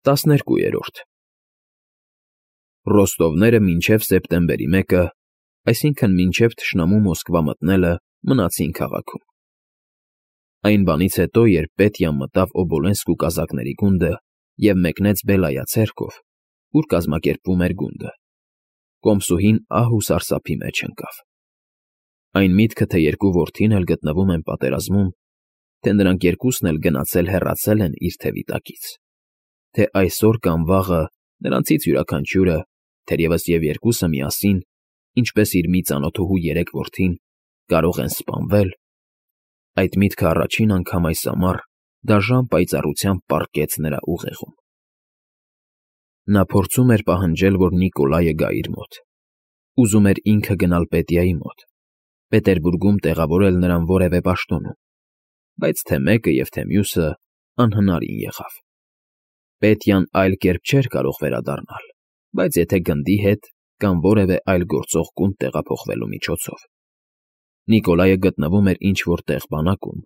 12 Ռոստովները մինչև սեպտեմբերի 1-ը, այսինքն մինչև թշնամու Մոսկվա մտնելը, մնացին քաղաքում։ Այն բանից հետո, երբ Պետյան մտավ Օբոլենսկու կազակների գունդը և մեկնեց Բելայա ցերկով, ուր կազմակերպվում էր գունդը, կոմսուհին ահ ու սարսափի մեջ ընկավ։ Այն միտքը, թե երկու որդին էլ գտնվում են պատերազմում, թե նրանք երկուսն էլ գնացել֊հեռացել են իր թևի տակից, թե այսօր կամ վաղը նրանցից յուրաքանչյուրը, թերևս և երկուսը միասին, ինչպես իր մի ծանոթուհու երեք որդին, կարող են սպանվել, այդ միտքը առաջին անգամ այս ամառ դաժան պայծառությամբ պառկեց նրա ուղեղում։ Նա փորձում էր պահանջել, որ Նիկոլայը գա իր մոտ։ Ուզում էր ինքը գնալ Պետյայի մոտ, Պետերբուրգում տեղավորել նրան որևէ պաշտոնում, բայց թե մեկը և թե մյուսը անհնարին եղավ։ Պետյան այլ կերպ չէր կարող վերադառնալ, բայց եթե գնդի հետ կամ որևէ այլ գործող գունդ տեղափոխվելու միջոցով։ Նիկոլայը գտնվում էր ինչ-որ տեղ բանակում,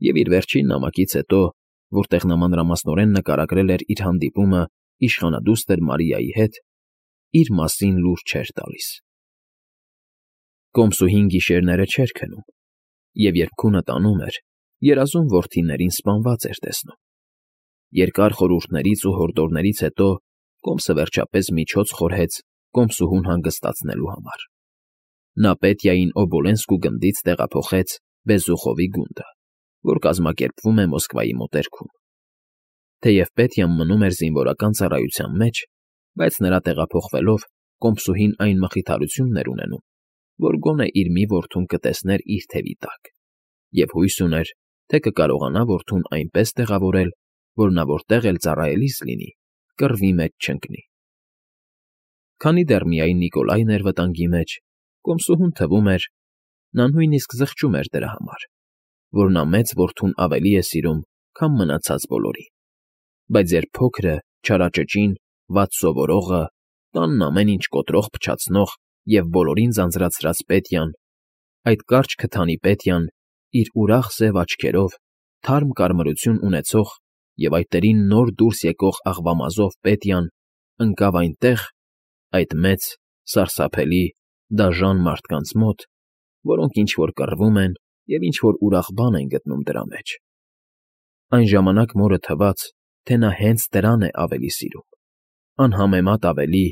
և իր վերջին նամակից հետո, որտեղ նա մանրամասնորեն նկարագրել էր իր հանդիպումը իշխանադուստր Մարիայի հետ, իր մասին լուր չէր տալիս։ Կոմսուհին գիշերները չէր քնում, և երբ քունը տանում էր, երազում որդիներին սպանված էր տեսնում։ Երկար խորհուրդներից ու հորդորներից հետո Կոմսը վերջապես միջոց խորհեց կոմսուհուն հանգստացնելու համար։ Նա Պետյային Օբոլենսկու գնդից տեղափոխեց Բեզուխովի գունդը, որ կազմակերպվում է Մոսկվայի մոտերքում։ Թեև Պետյան մնում էր զինվորական ծառայության մեջ, բայց նրա տեղափոխվելով կոմսուհին այն մխիթարությունն էր ունենում, որ գոնե իր մի որդուն կտեսներ իր թևի տակ, և հույս ուներ, թե կկարողանա որդուն այնպես տեղավորել, որ նա որտեղ էլ ծառայելիս լինի, կռվի մեջ չընկնի։ Քանի դեռ միայն Նիկոլայն էր վտանգի մեջ, կոմսուհուն թվում էր, նա նույնիսկ զղջում էր դրա համար, որ նա մեծ որդուն ավելի է սիրում, քան մնացած բոլորին։ Բայց երբ փոքրը, չարաճճին, վատ սովորողը, տանն ամեն ինչ կոտրող փչացնող և բոլորին ձանձրացրած Պետյան, այդ կարճ քթանի Պետյան, իր ուրախ սև աչքերով, թարմ կարմրություն ունեցող և այտերին նոր դուրս եկող աղվամազով Պետյան, ընկավ այնտեղ, այդ մեծ, սարսափելի, դաժան մարդկանց մոտ, որոնք ինչ֊որ կռվում են և ինչ֊որ ուրախ բան են գտնում դրա մեջ։ Այն ժամանակ մորը թվաց, թե նա հենց դրան է ավելի սիրում, անհամեմատ ավելի,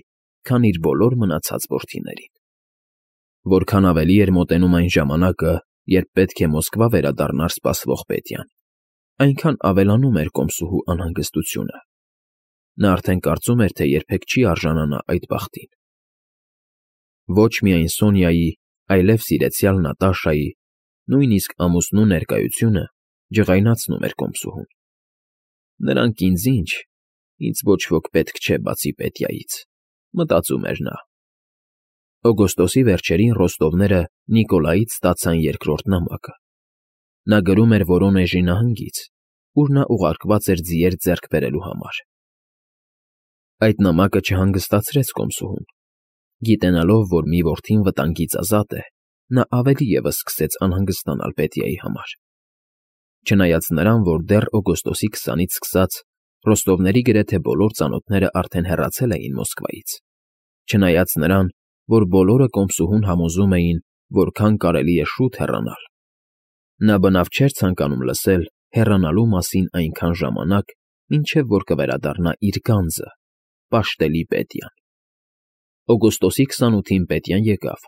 քան իր բոլոր մնացած որդիներին։ Որքան ավելի էր մոտենում այն ժամանակը, երբ պետք է Մոսկվա վերադառնար սպասվող Պետյան, այնքան ավելանում էր կոմսուհու անհանգստությունը։ Նա արդեն կարծում էր, թե երբեք չի արժանանա այդ բախտին։ Ոչ միայն Սոնյայի, այլև սիրեցյալ Նատաշայի, նույնիսկ ամուսնու ներկայությունը ջղայնացնում էր կոմսուհուն։ Նրանք ինձ ոչ ոք պետք չէ բացի Պետյայից, մտածում էր նա։ Օգոստոսի վերջերին Ռոստովները Նիկոլայից ստացան երկրորդ նամակը։ Նա գրում էր Վորոնեժի նահանգից, ուր նա ուղարկված էր ձիեր ձեռք բերելու համար։ Այդ նամակը չհանգստացրեց կոմսուհուն։ Գիտենալով, որ մի որդին վտանգից ազատ է, նա ավելի ևս սկսեց անհանգստանալ Պետյայի համար։ Չնայած նրան, որ դեռ օգոստոսի 20-ից սկսած Ռոստովների գրեթե բոլոր ծանոթները արդեն հեռացել էին Մոսկվայից, չնայած նրան, որ բոլորը կոմսուհուն համոզում էին, որքան կարելի է շուտ հեռանալ, նա բնավ չէր ցանկանում լսել հեռանալու մասին այնքան ժամանակ, մինչև որ կվերադառնա իր գանձը, պաշտելի Պետյան։ Օգոստոսի 28-ին Պետյան եկավ։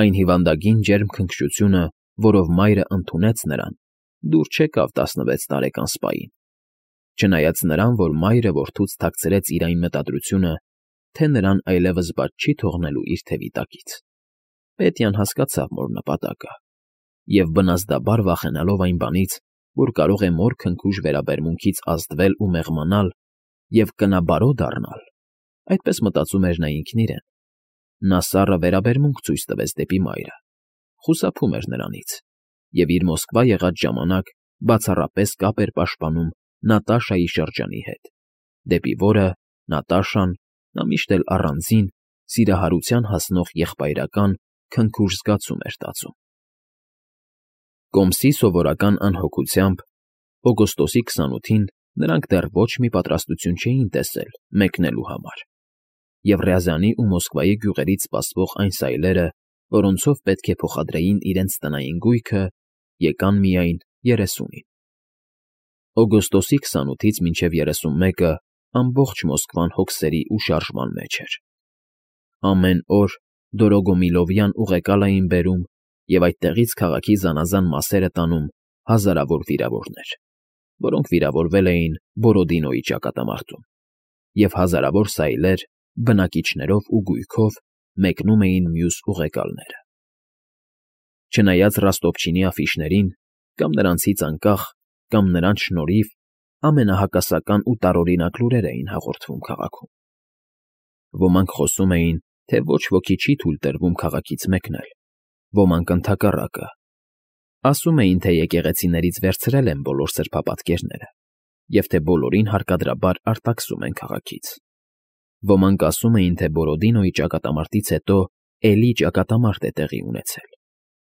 Այն հիվանդագին ջերմ քնքշությունը, որով մայրը ընդունեց նրան, դուր չեկավ 16 տարեկան սպային, չնայած նրան, որ մայրը որդուց թաքցրեց իր այն մտադրությունը, թե նրան այլևս բաց չի թողնելու իր թևի տակից։ Պետյան հասկացավ մոր նպատակը, և բնազդաբար վախենալով այն բանից, որ կարող է մոր քնքուշ վերաբերմունքից ազդվել ու մեղմանալ և կնաբարո դառնալ, այդպես մտածում էր նա ինքն իրեն, նա սառը վերաբերմունք ցույց տվեց դեպի մայրը, խուսափում էր նրանից, և իր Մոսկվա եղած ժամանակ բացառապես կապ էր պաշտպանում Նատաշայի շրջանի հետ, դեպի որը Նատաշան նա միշտ էլ առանձին, սիրահարության հասնող եղբայրական քնքուշ զգացում էր տածում։ Կոմսի սովորական անհոգությամբ օգոստոսի 28-ին նրանք դեռ ոչ մի պատրաստություն չէին տեսել մեկնելու համար, և Ռյազանի ու Մոսկվայի գյուղերից սպասվող այն սայլերը, որոնցով պետք է փոխադրեին իրենց տնային գույքը, եկան միայն 30-ին։ Օգոստոսի 28-ից մինչև 31-ը ամբողջ Մոսկվան հոգսերի ու շարժման մեջ էր։ Ամեն օր Դորոգոմիլովյան ուղեկալ էին բերում և այդտեղից քաղաքի զանազան մասերը տանում հազարավոր վիրավորներ, որոնք վիրավորվել էին Բորոդինոյի ճակատամարտում, և հազարավոր սայլեր բնակիչներով ու գույքով մեկնում էին մյուս ուղեկալները։ Չնայած Ռոստովչինի աֆիշներին, կամ նրանցից անկախ, կամ նրանց շնորհիվ ամենահակասական ու տարօրինակ լուրեր էին հաղորդվում քաղաքում։ Ոմանք խոսում էին, թե ոչ ոքի չի թույլ տրվում քաղաքից մեկնել, ոմանք ընդհակառակը։ Ասում էին, թե եկեղեցիներից վերցրել են բոլոր սրբապատկերները, և թե բոլորին հարկադրաբար արտաքսում են քաղաքից։ Ոմանք ասում էին, թե Բորոդինոյի ճակատամարտից հետո էլի ճակատամարտ է տեղի ունեցել,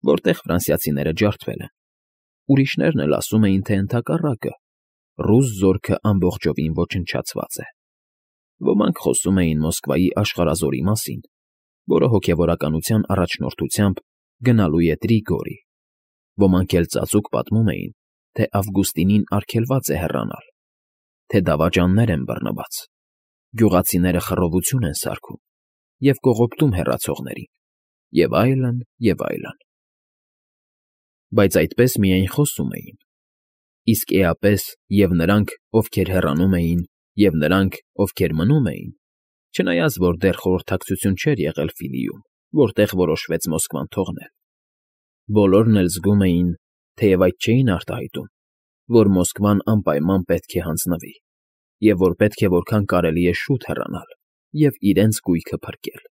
որտեղ ֆրանսիացիները ջարդվել են։ Ուրիշներն էլ ասում էին, թե ընդհակառակը, ռուս զորքը ամբողջովին ոչնչացված է։ Ոմանք խոսում էին Մոսկվայի աշխարհազորի մասին, որը հոգևորականության առաջնորդությամբ գնալու է Տրիգորի։ Ոմանք էլ ծածուկ պատմում էին, թե Ավգուստինին արգելված է հեռանալ, թե դավաճաններ են բռնված, գյուղացիները խռովություն են սարքում և կողոպտում հեռացողներին, և այլն, և այլն։ Բայց այդպես միայն խոսում էին, իսկ էապես և նրանք, ովքեր հեռանում էին, և նրանք, ովքեր մնում էին, չնայած որ դեռ խորհրդակցություն չէր եղել Ֆիլիում, որտեղ որոշվեց Մոսկվան թողնել, բոլորն էլ զգում էին, թեև այդ չէին արտահայտում, որ Մոսկվան անպայման պետք է հանձնվի, և որ պետք է որքան կարելի է շուտ հեռանալ և իրենց գույքը փրկել։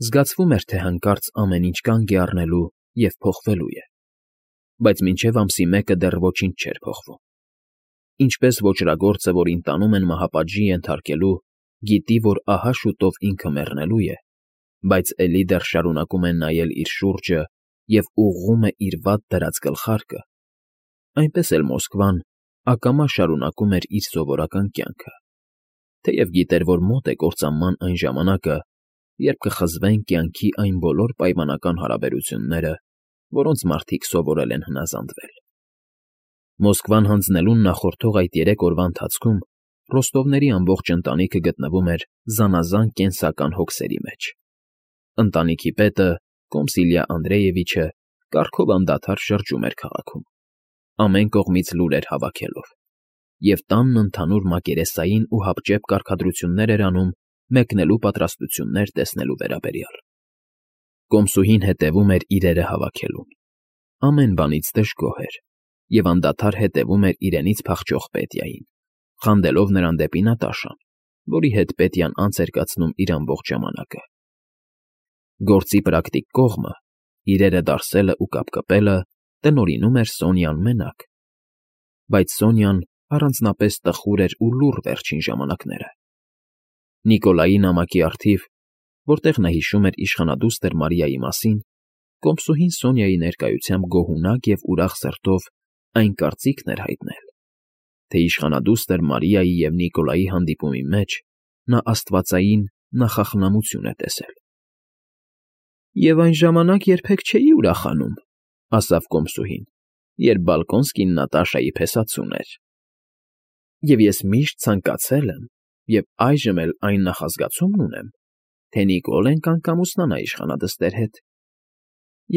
Զգացվում էր, թե հանկարծ ամեն ինչ կանգ է առնելու և փոխվելու է, բայց մինչև ամսի 1-ը դեռ ոչինչ չէր փոխվում։ Ինչպես ոճրագործը, որին տանում են մահապատժի ենթարկելու, գիտի, որ ահա շուտով ինքը մեռնելու է, բայց էլի դեռ շարունակում է նայել իր շուրջը և ուղղում է իր վատ դրած գլխարկը, այնպես էլ Մոսկվան ակամա շարունակում էր իր սովորական կյանքը, թեև գիտեր, որ մոտ է կործանման այն ժամանակը, երբ կխզվեն կյանքի այն բոլոր պայմանական հարաբերությունները, որոնց մարդիկ սովորել են հնազանդվել։ Մոսկվան հանձնելուն նախորդող այդ 3 օրվա ընթացքում Ռոստովների ամբողջ ընտանիքը գտնվում էր զանազան կենսական հոգսերի մեջ։ Ընտանիքի պետը, Կոմսիլյա Անդրեևիչը, կառքով անդադար շրջում էր քաղաքում, ամեն կողմից լուրեր հավաքելով, և տանն ընդհանուր մակերեսային ու հապճեպ կարգադրություններ էր անում մեկնելու պատրաստություններ տեսնելու վերաբերյալ։ Կոմսուհին հետևում էր իրերը հավաքելուն, ամեն բանից դժգոհ էր և անդադար հետևում էր իրենից փախչող Պետյային, խանդելով նրան դեպի Նատաշան, որի հետ Պետյան անց էր կացնում իր ամբողջ ժամանակը։ Գործի պրակտիկ կողմը, իրերը դարսելը ու կապկպելը տնօրինում էր Սոնյան մենակ, բայց Սոնյան առանձնապես տխուր էր ու լուռ վերջին ժամանակները։ Նիկոլայի նամակի առթիվ, որտեղ նա հիշում էր իշխանադուստր Մարիայի մասին, Կոմսուհին Սոնյայի ներկայությամբ գոհունակ և ուրախ սրտով այն կարծիքն էր հայտնել, թե իշխանադուստր Մարիայի և Նիկոլայի հանդիպումի մեջ նա աստվածային նախախնամություն է տեսել։ «Եվ այն ժամանակ երբեք չէի ուրախանում,֊ ասավ Կոմսուհին,֊ երբ Բալկոնսկին Նատաշայի փեսացուն էր։ Եվ ես միշտ ցանկացել եմ և այժմ էլ այն նախազգացումն ունեմ, թե Նիկոլեն կանգ-ամուսնանա իշխանադստեր հետ,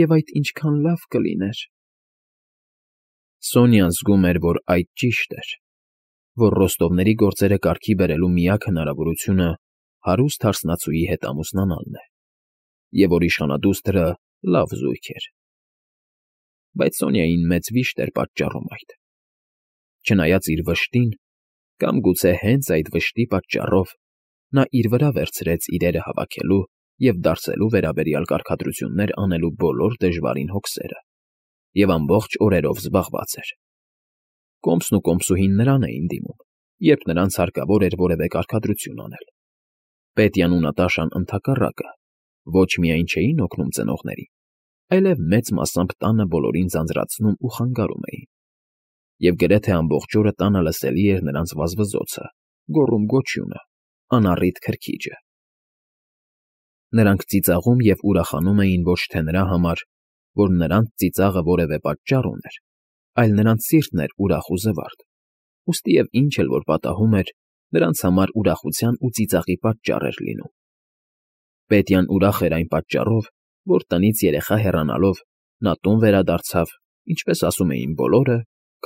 և այդ ինչքան լավ կլիներ»։ Սոնյան զգում էր, որ այդ ճիշտ էր, որ Ռոստովների գործերը կարգի բերելու միակ հնարավորությունը հարուստ հարսնացուի հետ ամուսնանալն է, և որ իշխանադուստրը լավ զույգ էր։ Բայց Սոնյային մեծ վիշտ էր պատճառում այդ։ Չնայած իր վշտին, կամ գուցե հենց այդ վշտի պատճառով, նա իր վրա վերցրեց իրերը հավաքելու և դարսելու վերաբերյալ կարգադրություններ անելու բոլոր դժվարին հոգսերը և ամբողջ օրերով զբաղված էր։ Կոմսն ու Կոմսուհին նրան էին դիմում, երբ նրանց հարկավոր էր որևէ կարգադրություն անել։ Պետյան ու Նատաշան ընդհակառակը ոչ միայն չէին օգնում ծնողներին, այլև մեծ մասամբ տանը բոլորին ձանձրացնում ու խանգարում էին։ և գրեթե ամբողջ օրը տանը լսելի էր նրանց վազվզոցը, գոռում֊գոչյունը, անառիթ քրքիջը։ Նրանք ծիծաղում և ուրախանում էին ոչ թե նրա համար, որ նրանց ծիծաղը որևէ պատճառ ուներ, այլ նրանց սիրտն էր ուրախ ու զվարթ, ուստիև ինչ էլ որ պատահում էր, նրանց համար ուրախության ու ծիծաղի պատճառ էր լինում։ Պետյան ուրախ էր այն պատճառով, որ տնից երեխա հեռանալով նա տուն վերադարձավ, ինչպես ասում էին բոլորը,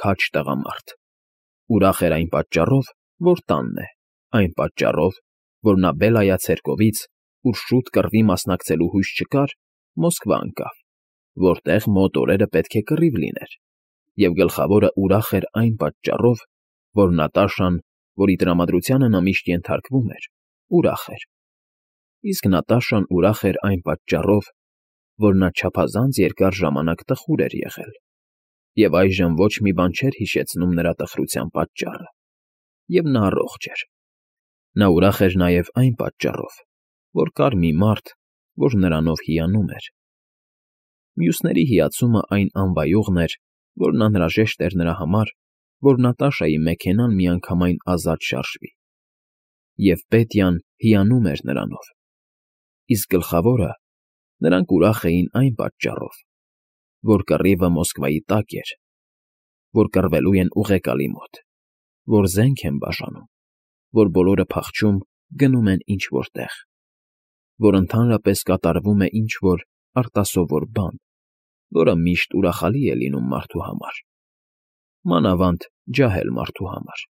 քաջ տղամարդ։ Ուրախ էր այն պատճառով, որ տանն է, այն պատճառով, որ նա Բելայա ցերկովից, ուր շուտ կռվի մասնակցելու հույս չկար, Մոսկվա ընկավ, որտեղ մոտ օրերը պետք է կռիվ լիներ, և գլխավորը ուրախ էր այն պատճառով, որ Նատաշան, որի տրամադրությանը նա միշտ ենթարկվում էր, ուրախ էր։ Իսկ Նատաշան ուրախ էր այն պատճառով, որ նա չափազանց երկար ժամանակ տխուր էր եղել, և այժմ ոչ մի բան չէր հիշեցնում նրա տխրության պատճառը, և նա առողջ էր։ Նա ուրախ էր նաև այն պատճառով, որ կար մի մարդ, որ նրանով հիանում էր։ Մյուսների հիացումը այն անվայողն էր, որն անհրաժեշտ էր նրա համար, որ Նատաշայի մեքենան միանգամայն ազատ շարժվի։ Եվ Պետյան հիանում էր նրանով։ Իսկ գլխավորը, նրանք ուրախ էին այն պատճառով, որ կռիվը Մոսկվայի տակ էր, որ կռվելու են ուղեկալի մոտ, որ զենք են բաժանում, որ բոլորը փախչում գնում են ինչ֊որ տեղ, որ ընդհանրապես կատարվում է ինչ֊որ արտասովոր բան, որը միշտ ուրախալի է լինում մարդու համար, մանավանդ ջահել մարդու համար։